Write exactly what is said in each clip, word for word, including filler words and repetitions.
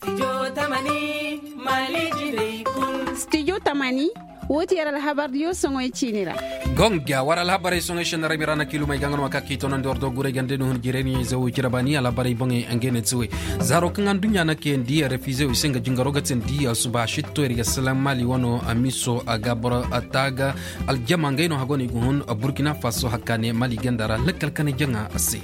Studio tamani, woo ti yer alhabardiyo soŋey ciini ra. Gonga war alhabarey soŋey sennarabi ra na kiilumey ga nga no ma ka k'i toonandi war do guray ganda ni hun jirey ni zewey cire baani alhabarey boŋey ngey ne ti wey. Zaaro kaŋ aduɲɲa na kayandi refizew i se nga jingaro ga tindi asuba sitto yer ga salaŋ maali wano amiso a ga boro taaga aljama ngey no hago no i ga hun burkina faso hakka ne maali ganda ra lakkal kane jaŋa se.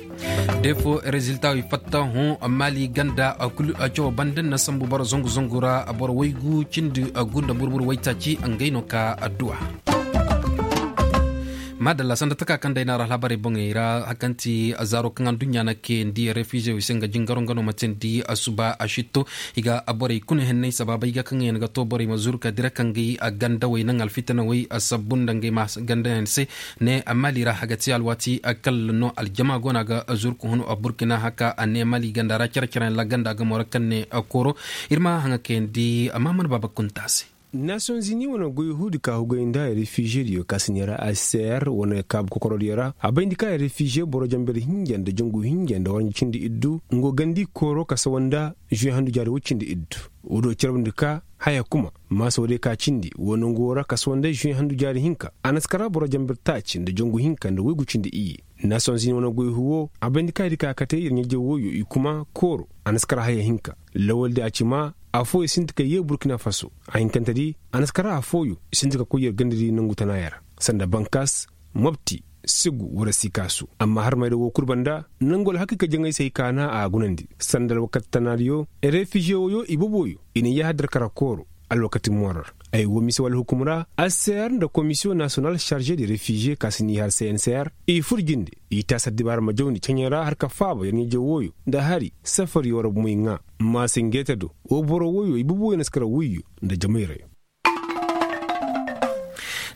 Defo rezilta i fatta hõ maali ganda kulu cawo banda na sambu boro zangu zangu ra boro waygu cindi gunda burbur waytaaci ngey no ka adduwa. Madalla sanda taka kaŋ day na ra alhabarey boŋey ra hakanti zaaro kaŋ aduɲɲa na kayandi refizew i se nga jingaro nga no ma tindi asuba a sitto. I ga borey kuna henney sabaabey ga kaŋ yaŋ ga to borey ma zuru ka dira kaŋ gay gandawey naŋ alfitanawey sabbu nda ngey ma gandayaŋ se. Ne maali ra a ga te alwaati kalla no aljama go no a ga zuru ka hun burkina haka a ne maali ganda ra care care yaŋ ra ganda gamo ra kaŋ ne kooro. Ir ma haŋa kayandi amma mana baaba kunta se. Nasiyoŋ zini wane goy huudi ka hugay nda refize diyo ka si neera a c c r wane kaabu kokorodiyo ra a bayndi ka refize boro jamber hinja nda jangu hinja nda waranji cindi iddu ngo gandi kooro ka sawa nda žuwe handu jaari woy cindi iddu. Woodiyo carabndi ka haya kuma maasa woodiyo ka cindi wo nangu wo ra ka sawa nda žuwe handu jaari hinka a na si kara boro jamber taaci nda jangu hinka nda woygu cindi iyye. Nasiyoŋ zini wane goy huwo a bayndi ka ir ka kate ir ɲajew woyo i kuma kooro a na si kara haya hinka. Lawaldi a ci ma afooyo sinti ka yee burkina faso. A hinkantedi a na si kara afooyo sinti ka koy yer gandadi nangu tanaaya ra sanda bankas, mopti, segu wara sikaasu. Amma harmayda woo kul banda nangu alhakiika jaŋay se ay kaana a gunandi sanda alwakati tanaadiyo. Refize woyo ibooboyo i na yahadar kara kooro alwakati mooro ra. Ay woo mise wala hukum ra a c c r nda komisiyoŋ nasiyonal sarže de refize ka si n'i har c n c r i fur jinde. I taasi addibaara ma jawndi ceɲey ra har ka faaba yer ɲajew woyo nda hari safariyo ra bumoy ŋaa. Maasa ngeete do woo boro woyo ibooboyo na si kara woyyo nda jamayrayo.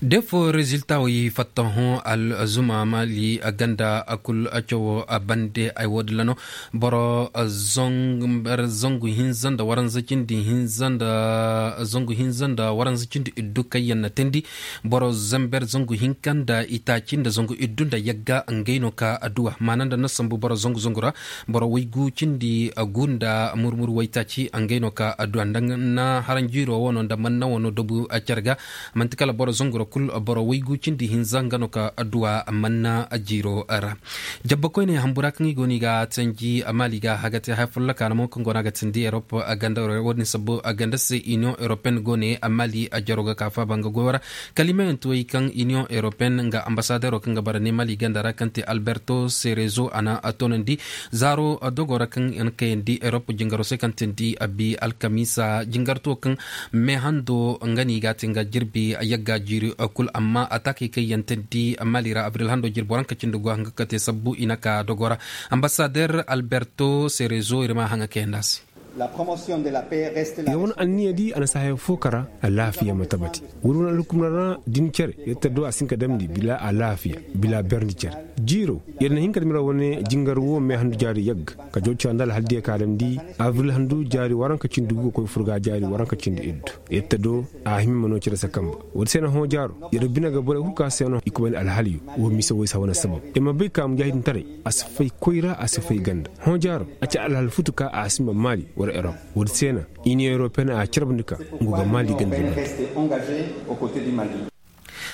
Defo rezilta wey fatta hõ alzuma maali ganda kul cawo bande ay woodin ra no. Boro zangu hinza nda waranza cindi hinza nda zangu hinza nda waranza cindi iddu kaŋ yaŋ na teendi boro zamber zangu hinka nda itaaci nda zangu iddu nda yagga ngey no ka adduwa maana nda na sambu boro zangu zangu ra. Boro waygu cindi gu nda murmur waytaaci ngey no ka adduwa nda na haranjiiro wano nda manna wano dabu care ga. Manti kala boro zanguro kul boro waygu cindi hinza nga no ka adduwa manna jiiro ra. Jabba koyne hambura kaŋ i go no i ga tanji maali ga a ga te haya folloka no mo kaŋ go no a ga tindi erop ganda wo- din sabbu ganda se iniyoŋ eropeen go ne maali jaro ga ka faaba nga goyo ra. Kalimayaŋ ti wey kaŋ iniyoŋ eropeen nga ambasadero kaŋ ga bara ne maali ganda ra kaŋ te alberto serezo a na a toonandi zaaro dogo ra kaŋ yaŋ kayandi erop jingaro se kaŋ tindi abi alkamiisa jingarto kaŋ meehando nga no i ga a te nga jirbi yagga jiiri kul amma ataakey kaŋ yaŋ tindi maali ra abril hando jirbi waranka cindi go a hanga ka te sabbu i na ka dogo ra. Ambasader alberto serezo ir ma a haŋa kayandi a se. Yer wane anniyadi a na si haya fo kara alaafiya ma tabati. Woodi wane alhukumna ra din cere yer ta do a si hin ka damndi bila alaafiya bila berndi cere. Jiiro yer na hin ka damndi ra wane jingar wo meehandu jaari yagga ka jaw cira nda alhaldiya ka damndi abril handu jaari waranka cindi gu ga koy furga jaari waranka cindi iddu. Yer ta do a hima ma no cere se kamba. Woodi se na hõ jaaro yer bine ga borey kul ka se no i kubandi alhaliyo. Wo mise wo i si a wane sabab yer ma bay ka mujaahidintaray a si fay koyra a si fay ganda. Hõ jaaro a ci alhal futu ka a si ma maali wala erop. Woodi se na iniyoŋ eropeen a carabndi ka ngu ga maali ganda.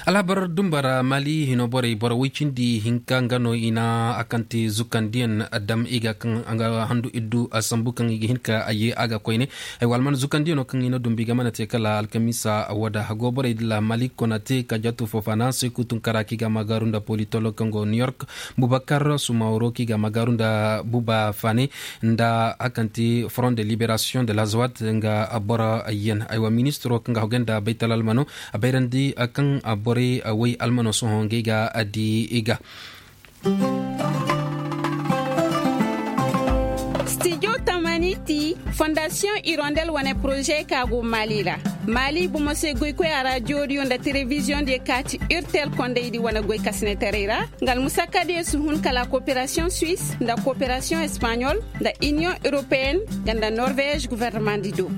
Alhabar dumba ra maali hino borey boro woy cindi hinka nga no i na a kaŋ te zukandiyaŋ dam i ga kaŋ a ga handu iddu a sambu kaŋ i ga hin ka a ye a ga koyne. Ay wa alman zukandiyaŋo kaŋ i na dumbi ga mana te kala alkamiisa wada hago borey dila maali konate ka jatu fofana se kutunkara kaŋ i ga a magaaru nda politolo kaŋ go new york. Bubakar sumaworo kaŋ i ga a magaaru nda buba fane nda a kaŋ te front de liberation de la zawat nga boro yaŋ ay wa ministiro kaŋ ga a hogay nda baytal almano. A bayrandi kaŋ borey woy almano sohõ ngey ga di i ga. Studio tamani ti fondasiyoŋ irondel wane poroze ka go maali ra. Maali bomo se goykoy a raadiyo diyo nda telebiziyoŋ diyo ka ti urtel kondaydi wane goy kasinetaray ra. Nga almusakka diyo si hun kala koperasiyoŋ suwis nda koperasiyoŋ espaɲol nda iniyoŋ europeen nga nda norvez guvernemandi do.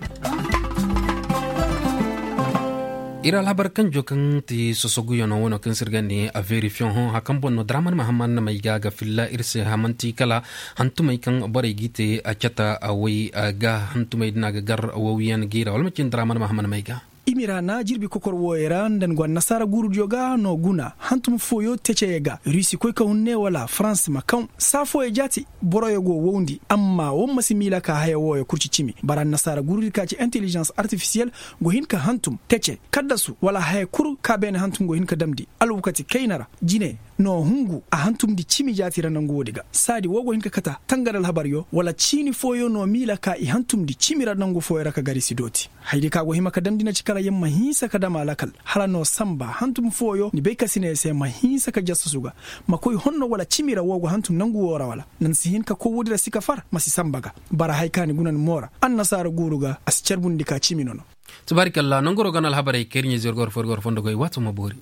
Ir alhabar kanjo kaŋ ti sosoguyanoo wanoo kaŋ se ir ga ne a verifiyoŋ hõ hakan boŋ no draman mahaman may ga ga filla ir se hamanti kala hantumey kaŋ borey g'i te a cata a way ga hantumey din a ga gar wawyaŋ g'i ra wala ma cin draman mahaman may ga. I mira na jirbi kokor wooyey ra nda ni go annasaara guurudiyo ga no guna hantum fooyo teceye ga rusi koy ka hunne wala farans ma kaŋ saa fooyo jaati boroyo go wowndi amma wo ma si miila ka haya wooyo kurci cimi bara annasaara guurudi ka ci intelijans artifisiyel go hin ka hantum tece kaddasu wala haya kul ka beene hantum go hin ka damndi alwakati kayna ra jine no hungu a hantumndi cimi jaati ra nangu woodi ga saadi wo go hin ka kata tangari alhabaryo wala ciini fooyo no miila ka i hantumndi cimi ra nangu fooyo ra ka gari si dooti. Haydi ka go hima ka damndi na ci kala yer ma hinsa ka dam a lakal hala no sanba hantum fooyo ni bay ka si ne yer se ma hinsa ka jassasu ga ma koy honno wala cimi ra wo go hantum nangu woo ra wala na ni si hin ka koy woodi ra si ka far ma si sanba ga. Bara haya ka ni guna ni moo ra annasaara guuru ga a si carbundi ka cimi nono. Tubaarikalla nanguroo ga no alhabarey kay ir ɲaa-ize yer go war fo ir go war fondo goy waatoo ma boori.